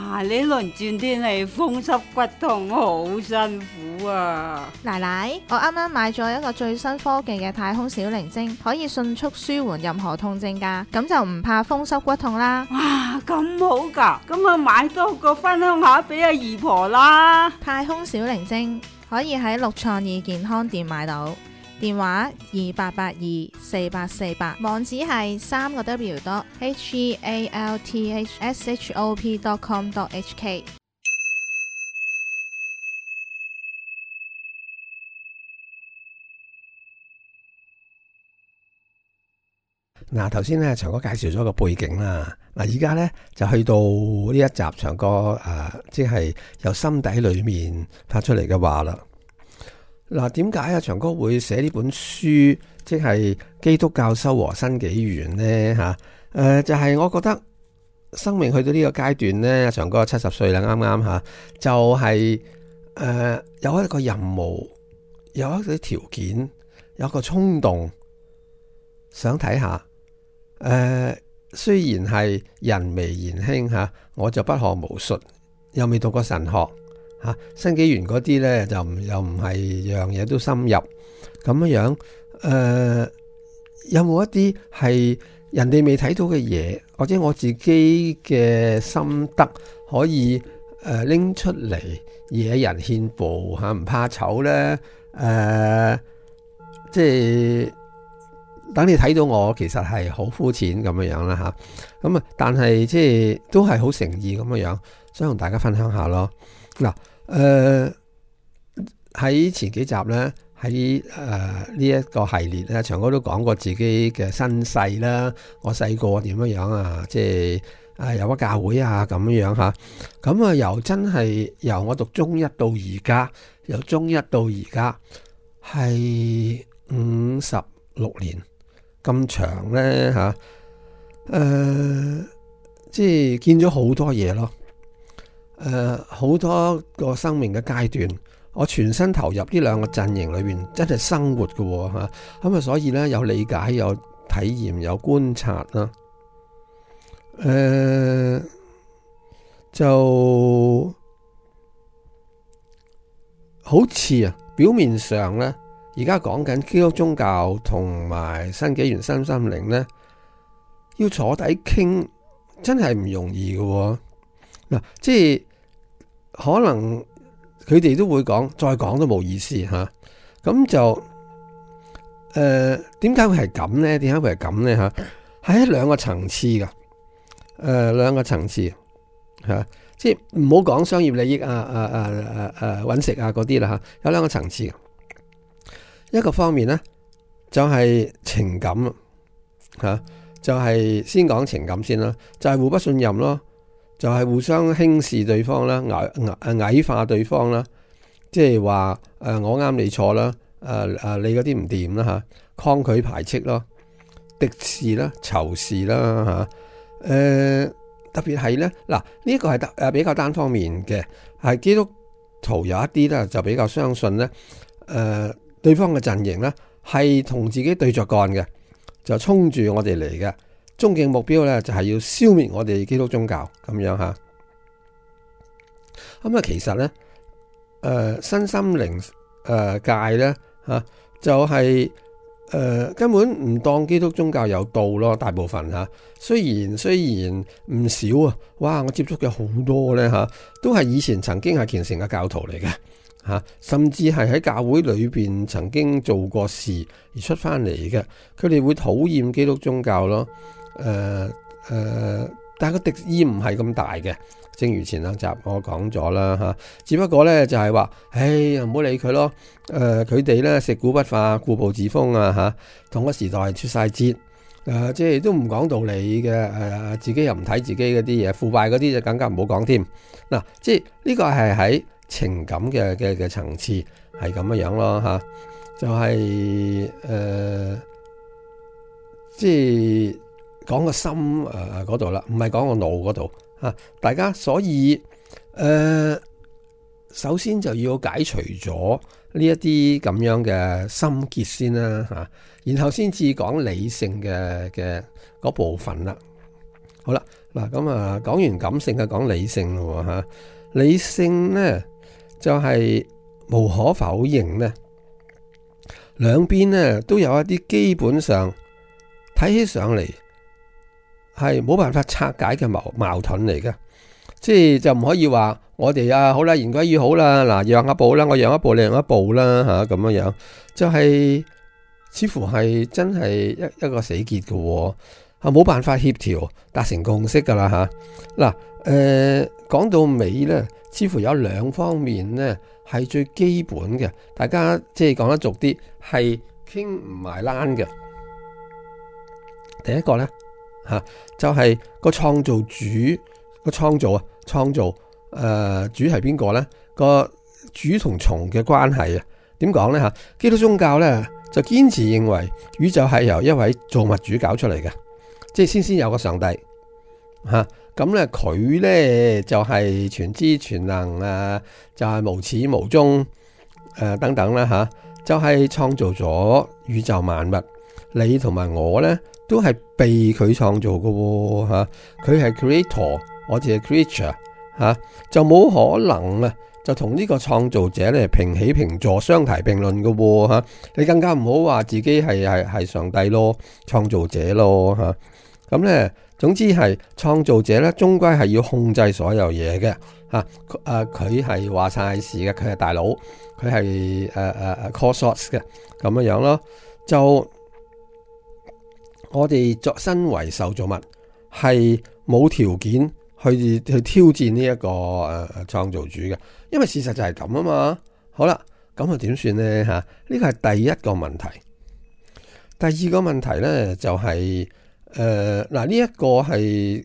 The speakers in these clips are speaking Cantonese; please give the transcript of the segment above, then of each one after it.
哇！呢輪轉天氣風濕骨痛，好辛苦啊！奶奶，我啱啱買咗一個最新科技嘅太空小靈精，可以迅速舒緩任何痛症㗎，咁就唔怕風濕骨痛啦。哇，咁好㗎！咁啊買多個分享下俾阿姨婆啦。太空小靈精可以喺六創意健康店買到，電話28824848，網址係3個W.healthshop.com.hk。嗱，頭先咧長哥介紹咗個背景啦，嗱而家咧就去到呢一集長哥即係由心底裏面發出嚟嘅話啦。嗱，點解啊長哥會寫呢本書，即係基督教修和新紀元呢？就係我覺得生命去到呢個階段呢，長哥70歲啦，啱啱就係有一個任務，有一啲條件，有一個衝動，想睇下。雖然係人微言輕我就不學無術，又未讀過神學新紀元嗰啲咧就又唔係樣嘢都深入咁樣。有冇一啲係人哋未睇到嘅嘢，或者我自己嘅心得可以拎出嚟惹人獻步唔怕醜咧？即係。等你睇到我其實係好膚淺咁樣啦咁但係即係都係好誠意咁樣，想同大家分享下咯。嗱，喺前幾集咧，喺呢一個系列咧，長哥都講過自己嘅身世啦，我細個點樣即係有個教會咁樣咁由真係由我讀中一到而家，由中一到而家係56年。咁長咧即係見咗好多嘢咯，好多個生命嘅階段，我全身投入呢兩個陣營裏邊，真係生活嘅咁所以咧有理解、有體驗、有觀察啦，就好似表面上咧。而家講緊基督宗教同埋新紀元身心靈咧，要坐底傾真係唔容易嘅嗱，即係可能佢哋都會講，再講都冇意思咁就點解會係咁咧？點解會係咁咧？係喺兩個層次噶，兩個層次即係唔好講商業利益搵食嗰啲啦有兩個層次。一個方面咧就係情感就係先講情感先啦，就係互不信任咯，就係互相輕視對方啦，矮化對方啦，即係話我啱你錯啦，你嗰啲唔掂啦抗拒排斥咯，敵視啦，仇視啦特別係咧嗱，呢個係比較單方面嘅，係基督徒有一啲咧就比較相信咧對方嘅陣營咧係同自己對着幹嘅，就衝住我哋嚟嘅，終極目標咧就係要消滅我哋基督宗教咁樣咁其實咧身心靈界咧就係根本唔當基督宗教有道咯，大部分雖然唔少哇，我接觸嘅好多咧都係以前曾經係虔誠嘅教徒嚟嘅。甚至係喺教會裏邊曾經做過事而出翻嚟嘅，佢哋會討厭基督宗教咯。但係個敵意唔係咁大嘅，正如前兩集我講咗啦只不過咧就係話，唔好理佢咯。佢哋咧食古不化，固步自封同個時代出晒節，即係都唔講道理嘅。自己又唔睇自己嗰啲嘢，腐敗嗰啲就更加唔好講添。嗱，即係呢個係喺情感嘅層次係咁樣咯就係即係講個心嗰度啦，唔係講個腦嗰度大家所以首先就要解除咗呢一啲咁樣嘅心結先啦然後先至講理性嘅嗰部分啦。好啦，嗱，咁啊，講完感性啊，講理性咯吓。理性呢就係無可否認呢，兩邊呢都有一啲基本上睇起上嚟係冇辦法拆解嘅矛盾嚟嘅，即係就唔可以話我哋啊好啦，言歸於好啦，嗱讓一步啦，我讓一步你讓一步啦吓，咁樣樣就係似乎係真係一個死結嘅，係冇辦法協調達成共識噶啦吓。嗱，講到尾咧，似乎有兩方面咧係最基本嘅，大家即係講得俗啲係傾唔埋欄嘅。第一個咧吓就係個創造主個創造主係邊個咧？個主同蟲嘅關係啊？點講咧吓？基督宗教咧就堅持認為宇宙係由一位造物主搞出嚟嘅，即係先有個上帝吓。咁咧佢咧就係全知全能啊，就係無始無終等等啦吓，就係創造咗宇宙萬物。你同埋我咧都係被佢創造嘅吓，佢係 creator， 我哋係 creature 吓，就冇可能啊就同呢個創造者咧平起平坐、相提並論嘅吓。你更加唔好話自己係上帝咯，創造者咯吓。咁咧。總之係創造者咧，終歸係要控制所有嘢嘅吓。佢係話晒事嘅，佢係大佬，佢係call shots 嘅咁樣樣咯。就我哋作身為受造物，係冇條件去挑戰呢一個創造主嘅，因為事實就係咁啊嘛。好啦，咁啊點算呢吓？呢個係第一個問題。第二個問題咧就係。嗱，呢一個係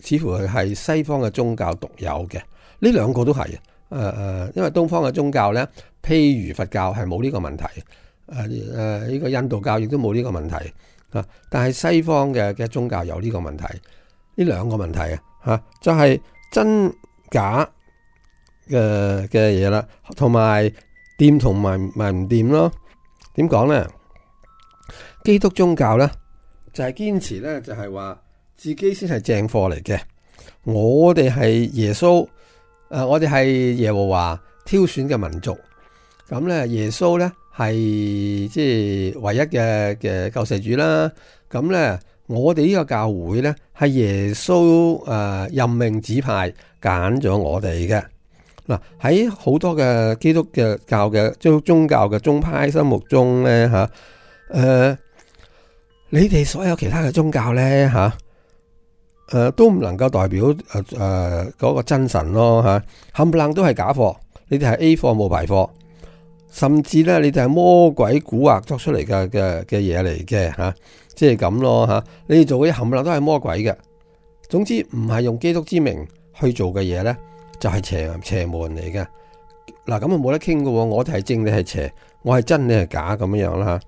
似乎係西方嘅宗教獨有嘅，呢兩個都係因為東方嘅宗教咧，譬如佛教係冇呢個問題，呢個印度教亦都冇呢個問題啊，但係西方嘅宗教有呢個問題，呢兩個問題啊就係真假嘅嘢啦，同埋掂同埋唔掂咯。點講咧？基督宗教咧？就係堅持咧，就係話自己先係正貨嚟嘅。我哋係耶穌，我哋係耶和華挑選嘅民族。咁咧，耶穌咧係即係唯一嘅救世主啦。咁咧，我哋呢個教會咧係耶穌任命指派揀咗我哋嘅。嗱，喺好多嘅基督嘅教嘅宗教嘅宗派心目中咧吓，你哋所有其他嘅宗教咧吓，都唔能夠代表嗰個真神咯吓，冚唪唥都係假貨，你哋係 A 貨冇排貨，甚至咧你哋係魔鬼蠱惑作出嚟嘅嘢嚟嘅吓，即係咁咯吓，你哋做嘅嘢冚唪唥都係魔鬼嘅。總之唔係用基督之名去做嘅嘢咧，就係邪門嚟嘅。嗱，咁啊冇得傾㗎喎，我哋係正，你係邪，我係真，你係假咁樣啦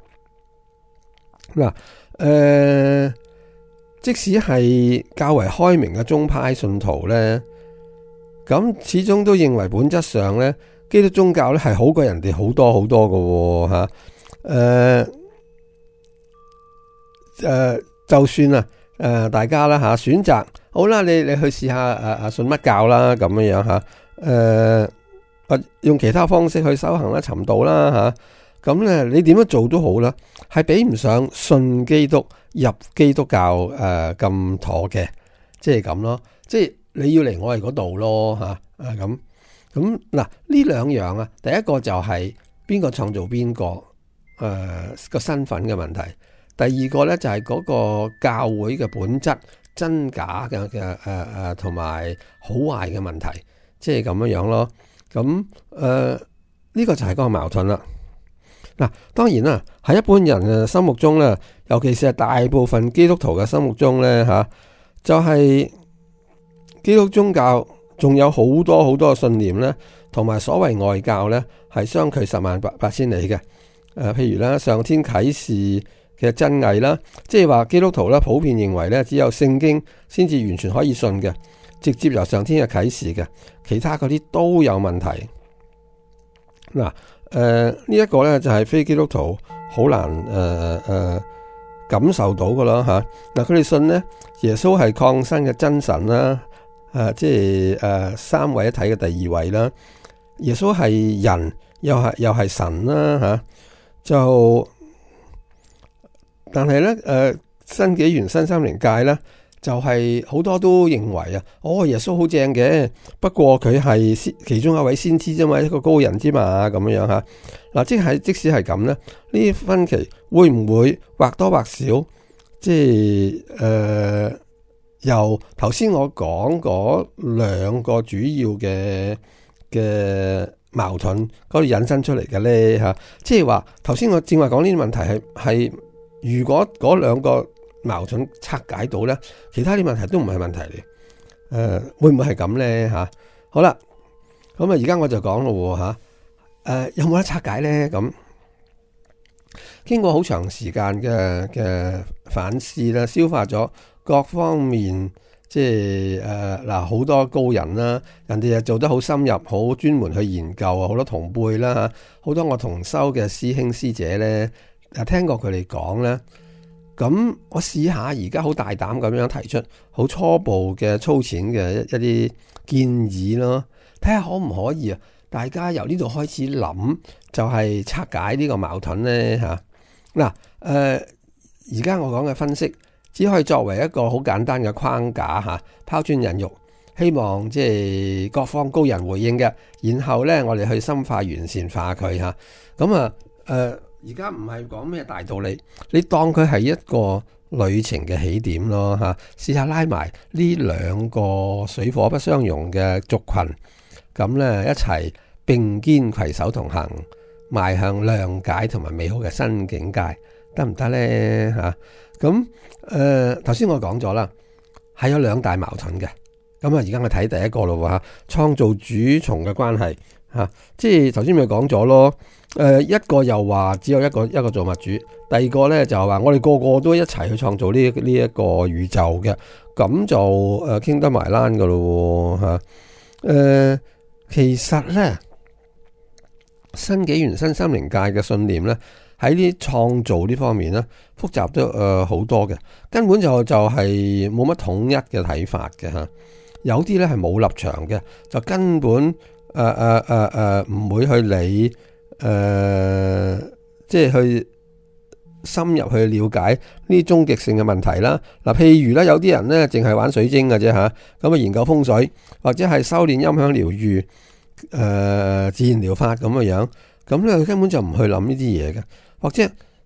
吓。嗱。即使係較為開明嘅宗派信徒咧，咁始終都認為本質上咧，基督宗教咧係好過人哋好多好多嘅吓。就算啊，大家啦吓選擇好啦，你去試下信乜教啦咁樣樣吓，用其他方式去修行啦、尋道啦吓。咁咧，你點樣做都好啦，係比唔上信基督入基督教咁妥嘅，即係咁咯。即係你要嚟我哋嗰度咯吓，咁嗱呢兩樣啊，第一個就係邊個創造邊個個身份嘅問題，第二個咧就係嗰個教會嘅本質真假嘅同埋好壞嘅問題，即係咁樣樣咯。咁呢個就係嗰個矛盾啦。嗱，當然啦，喺一般人嘅心目中咧，尤其是係大部分基督徒嘅心目中咧吓，就係基督宗教仲有好多好多嘅信念咧，同埋所謂外教咧係相距十萬八千里嘅。譬如咧上天啟示嘅真偽啦，即係話基督徒咧普遍認為咧只有聖經先至完全可以信嘅，直接由上天嘅啟示嘅，其他嗰啲都有問題。嗱。呢一個咧就係非基督徒好難感受到噶啦吓。嗱，佢哋信咧耶穌係降生嘅真神啦，即係三位一體嘅第二位啦。耶穌係人，又係神啦吓。但係咧新紀元新心靈界咧，就係好多都認為耶穌好正嘅，不過佢係其中一位先知啫嘛，一個高人之嘛，咁樣吓。嗱，即使係咁咧，呢啲分歧會唔會或多或少，即係由頭先我講嗰兩個主要嘅矛盾嗰度引申出嚟嘅咧吓？即係話頭先我正話講呢啲問題係如果嗰兩個矛盾拆解到咧，其他啲問題都唔係問題嚟。會唔會係咁咧吓？好啦，咁而家我就講咯吓。有冇得拆解咧？咁經過好長時間嘅反思啦，消化咗各方面，即係好多高人啦，人哋又做得好深入，好專門去研究啊，好多同輩啦吓，好多我同修嘅師兄師姐咧，聽過佢哋講咧。咁我試下而家好大膽咁樣提出好初步嘅粗淺嘅一啲建議咯，睇下可唔可以大家由呢度開始諗，就係拆解呢個矛盾呢吓。嗱，而家我講嘅分析只可以作為一個好簡單嘅框架吓，拋磚引玉，希望即係各方高人回應嘅，然後呢，我哋去深化完善化佢吓。咁而家唔係講咩大道理，你當佢係一個旅程嘅起點咯吓，試下拉埋呢兩個水火不相容嘅族群，咁咧一齊並肩攜手同行，邁向諒解同埋美好嘅新境界，得唔得咧吓？咁頭先我講咗啦，係有兩大矛盾嘅。咁而家我睇第一個咯吓，創造主從嘅關係吓，即係頭先咪講咗咯。一個又話只有一個造物主，第二個咧就話我哋個個都一齊去創造呢一個宇宙嘅，咁就傾得埋欄噶咯吓。其實咧新紀元新心靈界嘅信念咧，喺呢創造呢方面咧複雜得好多嘅，根本就係冇乜統一嘅睇法嘅吓。有啲咧係冇立場嘅，就根本唔會去理。即係去深入去了解呢啲終極性嘅問題啦。嗱，譬如咧，有啲人咧淨係玩水晶嘅啫吓，咁研究風水或者係修煉音響療愈、自然療法咁嘅樣，咁咧根本就唔去諗呢啲嘢嘅。或者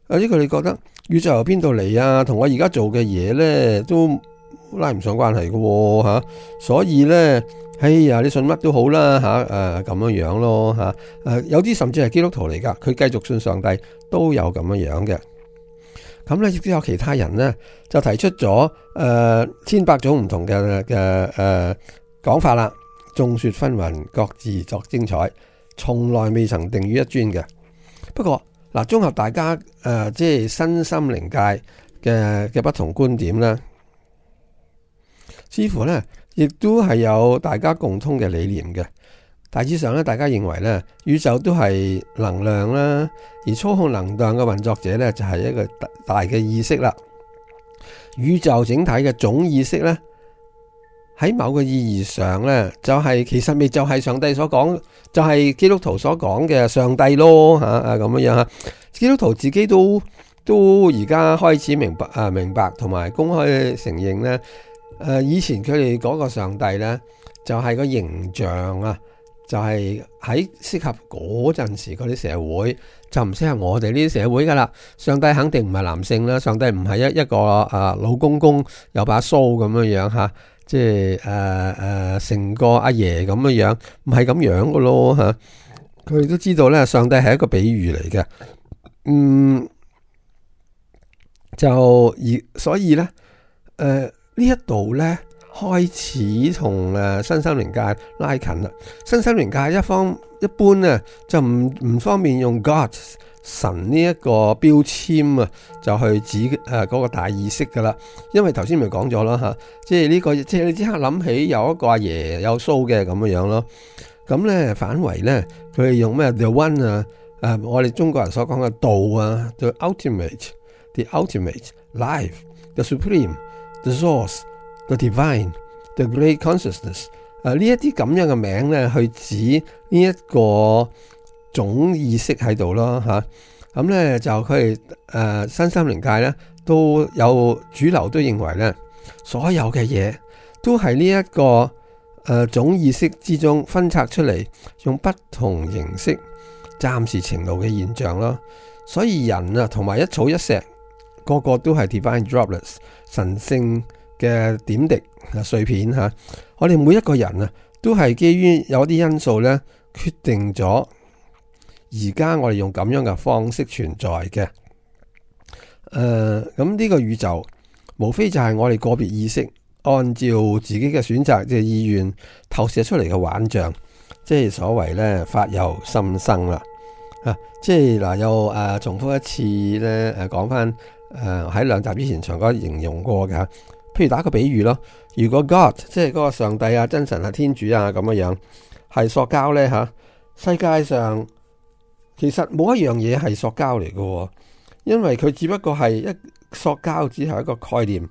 佢哋覺得宇宙由邊度嚟啊？同我而家做嘅嘢咧都拉唔上關係嘅吓，所以咧。哎呀，你信乜都好啦吓，咁樣樣咯吓，有啲甚至係基督徒嚟噶，佢繼續信上帝都有咁樣樣嘅。咁咧亦都有其他人咧就提出咗千百種唔同嘅講法啦，眾說紛紜，各自作精彩，從來未曾定於一尊嘅。不過嗱，綜合大家即係新心靈界嘅不同觀點咧，似乎咧。亦都係有大家共通嘅理念嘅。大致上咧，大家認為咧，宇宙都係能量啦，而操控能量嘅運作者咧就係一個大嘅意識啦。宇宙整體嘅總意識咧，喺某個意義上咧，就係其實咪就係上帝所講，就係基督徒所講嘅上帝咯吓，咁樣樣吓。基督徒自己都而家開始明白同埋公開承認咧。以前佢哋嗰個上帝咧，就係個形象啊，就係喺適合嗰陣時嗰啲社會，就唔適合我哋呢啲社會噶啦。上帝肯定唔係男性啦，上帝唔係一個老公公有把鬚咁樣樣吓，即係成個阿爺咁樣樣，唔係咁樣噶咯吓。佢哋都知道咧，上帝係一個比喻嚟嘅，所以咧，呢一度咧開始同新心靈界拉近啦。新心靈界一般咧就唔方便用 God 神呢一個標籤啊，就去指嗰個大意識噶啦。因為頭先咪講咗啦吓，即係呢個即係你即刻諗起有一個阿爺有鬚嘅咁樣樣咯。咁咧反為咧佢哋用咩 The One 我哋中國人所講嘅道啊，就 Ultimate the ultimate, life, the supreme, the source, the divine, the great consciousness。呢一啲咁樣嘅名咧，去指呢一個總意識喺度咯嚇。咁咧就佢哋身心靈界咧都有主流都認為咧，所有嘅嘢都係呢一個總意識之中分拆出嚟，用不同形式暫時呈露嘅現象咯。所以人啊同埋一草一石，個個都係 divine droplets 神聖嘅點滴碎片嚇。我哋每一個人啊都係基於有啲因素咧，決定咗而家我哋用咁樣嘅方式存在嘅。咁呢個宇宙無非就係我哋個別意識按照自己嘅選擇嘅意願投射出嚟嘅幻象，即係所謂咧發由心生啦。即係嗱又重複一次咧講翻喺2集之前長哥形容過嘅。譬如打個比喻咯，如果 God 即係嗰個上帝啊、真神啊、天主啊咁樣係塑膠咧嚇，世界上其實冇一樣嘢係塑膠嚟嘅，因為佢只不過係一塑膠，只係一個概念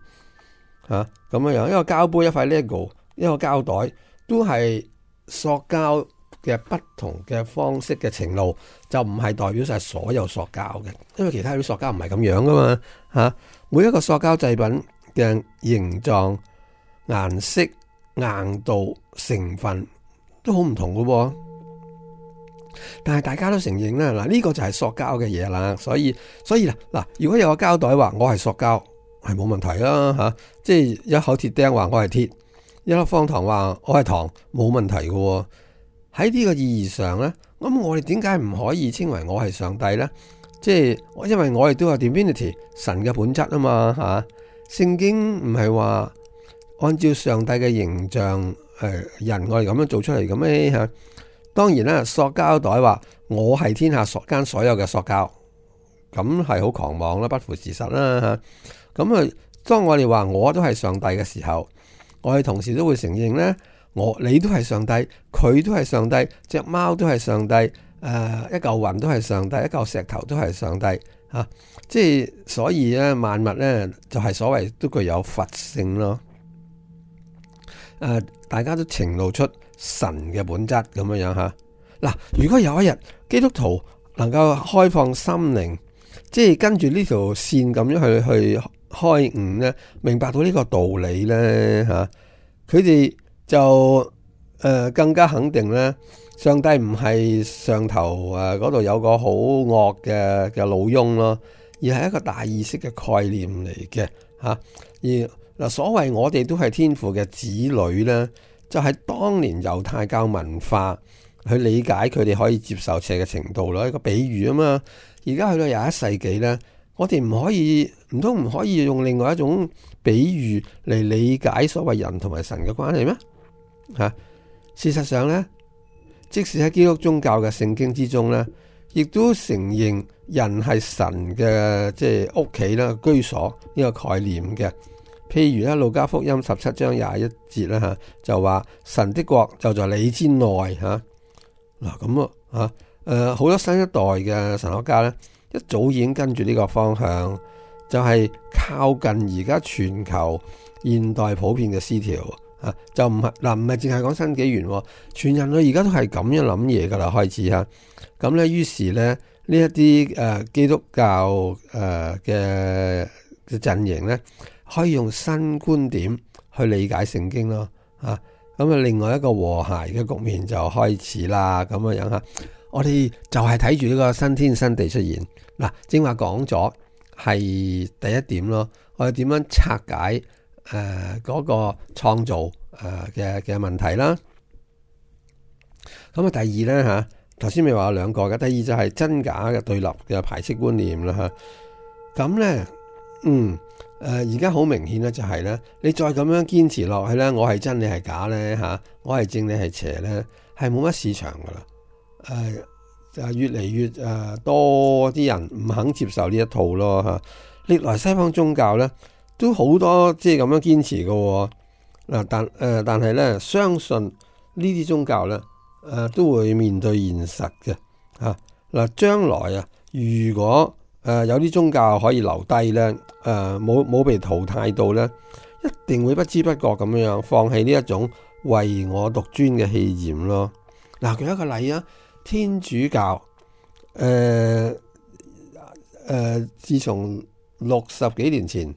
嚇咁樣。一個膠杯、一塊 Lego、一個膠袋都係塑膠嘅不同嘅方式嘅呈露，就唔係代表晒所有塑膠嘅，因為其他啲塑膠唔係咁樣噶嘛嚇。每一個塑膠製品嘅形狀、顏色、硬度、成分都好唔同嘅喎，但係大家都承認啦，嗱呢個就係塑膠嘅嘢啦，所以嗱，如果有個膠袋話我係塑膠，係冇問題啦嚇，即係一口鐵釘話我係鐵，一粒方糖話我係糖，冇問題嘅喎。喺呢個意義上咧，咁我哋點解唔可以稱為我係上帝咧？即係因為我哋都有 divinity 神嘅本質啊嘛嚇。聖經唔係話按照上帝嘅形象人我哋咁樣做出嚟嘅咩嚇？當然啦，塑膠袋話我係天下間所有嘅塑膠，咁係好狂妄啦，不符事實啦嚇。咁當我哋話我都係上帝嘅時候，我哋同時都會承認咧，你都係上帝，佢都係上帝，隻貓都係上帝，一嚿雲都係上帝，一嚿石頭都係上帝嚇。即係所以咧，萬物咧就係所謂都具有佛性咯。大家都呈露出神嘅本質咁樣嚇。嗱，如果有一日基督徒能夠開放心靈，即係跟住呢條線咁樣去開悟咧，明白到呢個道理咧嚇，佢哋就更加肯定咧，上帝唔係上頭嗰度有個好惡嘅老翁咯，而係一個大意識嘅概念嚟嘅嚇。而嗱，所謂我哋都係天父嘅子女咧，就係當年猶太教文化去理解佢哋可以接受邪嘅程度咯，一個比喻啊嘛。而家去到21世紀咧，我哋唔通唔可以用另外一種比喻嚟理解所謂人同埋神嘅關係咩？嚇，事實上咧，即使喺基督宗教嘅聖經之中咧，亦都承認人係神嘅即係屋企啦、居所呢個概念嘅。譬如咧，路加福音17章21節啦嚇，就話神的國就在你之內嚇。嗱咁好多新一代嘅神學家咧，一早已經跟住呢個方向，就係靠近而家全球現代普遍嘅思潮啊，就唔係淨係講新紀元，全人類而家都係咁樣諗嘢噶啦，開始嚇。咁咧，於是咧呢一啲基督教嘅陣營咧，可以用新觀點去理解聖經咯，咁另外一個和諧嘅局面就開始啦，咁樣嚇。我哋就係睇住呢個新天新地出現。嗱，正話講咗係第一點咯，我哋點樣拆解嗰個創造嘅問題啦。咁啊，第二咧嚇，頭先咪話有兩個嘅，第二就係真假嘅對立嘅排斥觀念啦嚇。咁咧，而家好明顯咧，就係咧，你再咁樣堅持落去咧，我係真你係假咧嚇，我係正你係邪咧，係冇乜市場噶啦。就越嚟越多啲人唔肯接受呢一套咯嚇。歷來西方宗教咧都好多即係咁樣堅持嘅嗱，但係咧相信呢啲宗教咧都會面對現實嘅嚇。嗱，將來如果有啲宗教可以留低呢，冇被淘汰到呢，一定會不知不覺咁樣放棄呢一種唯我獨尊嘅氣焰咯。嗱，舉一個例啊，天主教，自從60幾年前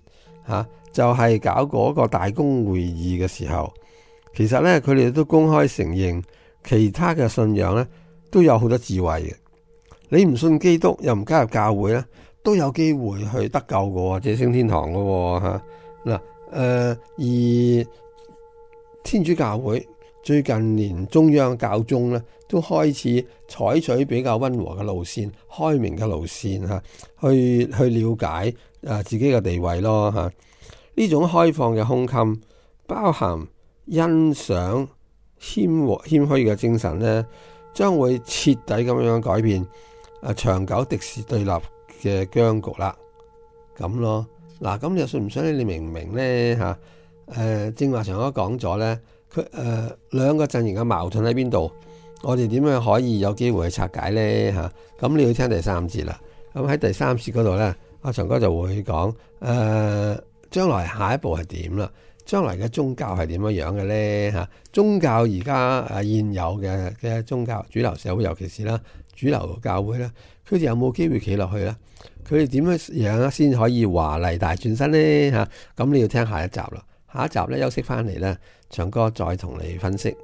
就係搞嗰個大公會議嘅時候，其實呢，佢哋都公開承認其他嘅信仰呢都有好多智慧嘅。你唔信基督又唔加入教會呢，都有機會去得救嘅，或者升天堂嘅吓。嗱，而天主教會最近連中央教宗呢都開始採取比較溫和嘅路線、開明嘅路線去了解自己嘅地位咯吓。呢種開放嘅胸襟，包含欣賞謙虛嘅精神呢，將會徹底咁樣改變長久敵視對立嘅僵局啦。咁咯，嗱，咁你信唔信你明唔明呢吓？正話長哥講咗呢，佢兩個陣營嘅矛盾喺邊度？我哋點樣可以有機會去拆解呢吓？咁你要聽第三節啦。咁喺第三節嗰度呢，阿長哥就會講將來下一步係點啦？將來嘅宗教係點樣嘅呢吓？宗教而家現有嘅宗教主流社會，尤其是啦主流教會咧，佢哋有冇機會企落去咧？佢哋點樣先可以華麗大轉身呢吓？咁你要聽下一集啦。下一集咧休息翻嚟咧，長哥再同你分析。